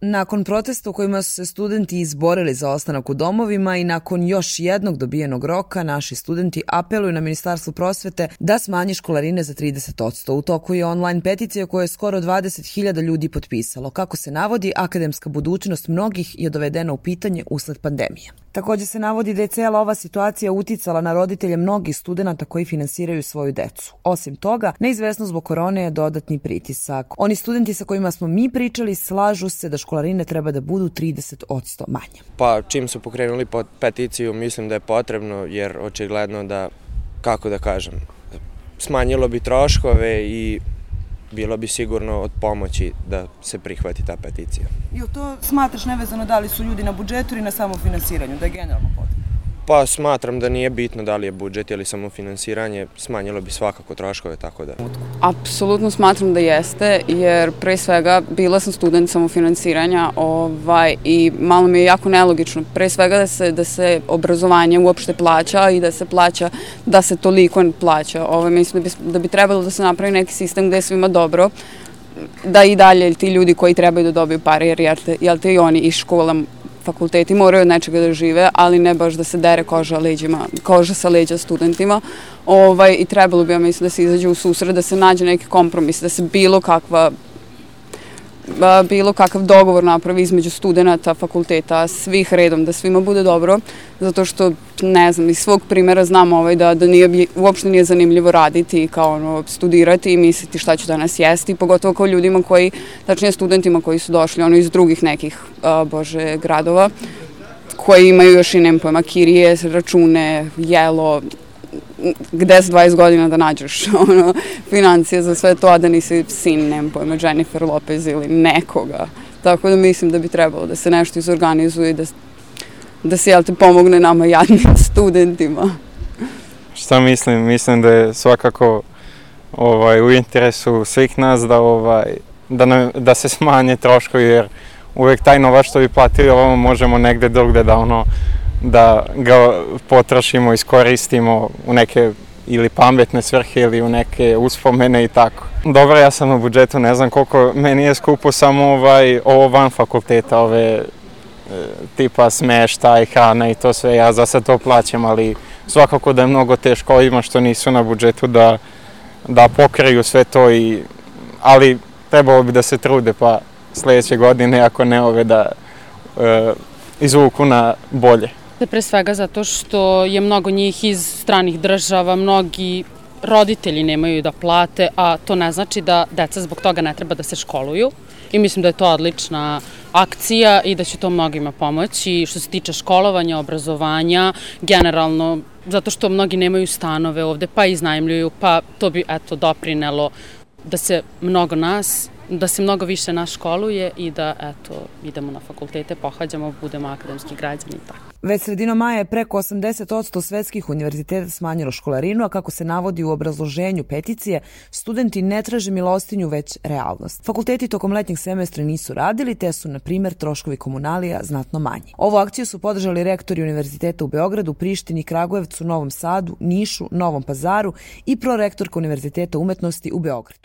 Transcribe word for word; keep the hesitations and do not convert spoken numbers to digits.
Nakon protesta u kojima su se studenti izborili za ostanak u domovima i nakon još jednog dobijenog roka, naši studenti apeluju na Ministarstvo prosvete da smanji školarine za trideset posto. U toku je online peticija koju je skoro dvadeset hiljada ljudi potpisalo. Kako se navodi, akademska budućnost mnogih je dovedena u pitanje usled pandemije. Također se navodi da je cijela ova situacija uticala na roditelje mnogih studenata koji finansiraju svoju decu. Osim toga, neizvesnost zbog korone je dodatni pritisak. Oni studenti sa kojima smo mi pričali slažu se da školarine treba da budu trideset posto manje. Pa čim su pokrenuli peticiju, mislim da je potrebno, jer očigledno da, kako da kažem, smanjilo bi troškove i bilo bi sigurno od pomoći da se prihvati ta peticija. Jel to smatraš nevezano da li su ljudi na budžetu ili na samofinansiranju, da je generalno potrebno? Pa smatram da nije bitno da li je budžet ili samofinansiranje, smanjilo bi svakako troškove, tako da... Apsolutno smatram da jeste, jer pre svega bila sam student samofinansiranja ovaj, i malo mi je jako nelogično. Pre svega da se, da se obrazovanje uopšte plaća i da se plaća, da se toliko plaća. Ovaj, mislim da bi, da bi trebalo da se napravi neki sistem gde je svima dobro, da i dalje ti ljudi koji trebaju da dobiju pare, jer jel te, jel te i oni iz škola, fakulteti moraju od nečega da žive, ali ne baš da se dere koža, leđima, koža sa leđa studentima. Ovaj, I trebalo bi, ja mislim, da se izađe u susret, da se nađe neki kompromis, da se bilo kakva bilo kakav dogovor napravi između studenta, fakulteta, svih redom, da svima bude dobro, zato što, ne znam, iz svog primjera znam ovaj, da, da nije, uopšte nije zanimljivo raditi, kao ono, studirati i misliti šta ću danas jesti, pogotovo kao ljudima koji, tačnije studentima koji su došli ono, iz drugih nekih, a, bože, gradova, koji imaju još i, nem pojma, kirije, račune, jelo, gde s dvadeset godina da nađeš ono, financije za sve to, a da nisi sin, nemam pojma, Jennifer Lopez ili nekoga. Tako da mislim da bi trebalo da se nešto izorganizuje i da, da se, jel te, pomogne nama jadnim studentima. Šta mislim? Mislim da je svakako ovaj, u interesu svih nas da, ovaj, da, ne, da se smanje troškovi, jer uvek taj novac što bi platili ovo možemo negde drugde da ono da ga potrošimo, iskoristimo u neke ili pametne svrhe ili u neke uspomene i tako. Dobro, ja sam na budžetu, ne znam koliko, meni je skupo samo ovaj, ovo van fakulteta, ove e, tipa smeštaj, hrana i to sve, ja za sad to plaćam, ali svakako da je mnogo teško ovima što nisu na budžetu da, da pokriju sve to, i, ali trebalo bi da se trude pa sljedeće godine, ako ne ove, da e, izvuku na bolje. Pre svega zato što je mnogo njih iz stranih država, mnogi roditelji nemaju da plate, a to ne znači da deca zbog toga ne treba da se školuju. I mislim da je to odlična akcija i da će to mnogima pomoći što se tiče školovanja, obrazovanja, generalno, zato što mnogi nemaju stanove ovde, pa iznajmljuju, pa to bi eto doprinelo da se mnogo nas da se mnogo više nas školuje i da eto, idemo na fakultete, pohađamo, budemo akademski građani i tako. Već sredinom maja je preko osamdeset posto svetskih univerziteta smanjilo školarinu, a kako se navodi u obrazloženju peticije, studenti ne traže milostinju, već realnost. Fakulteti tokom letnjeg semestra nisu radili, te su, na primjer, troškovi komunalija znatno manji. Ovu akciju su podržali rektori univerziteta u Beogradu, Prištini, Kragujevcu, Novom Sadu, Nišu, Novom Pazaru i prorektorka Univerziteta umetnosti u Beogradu.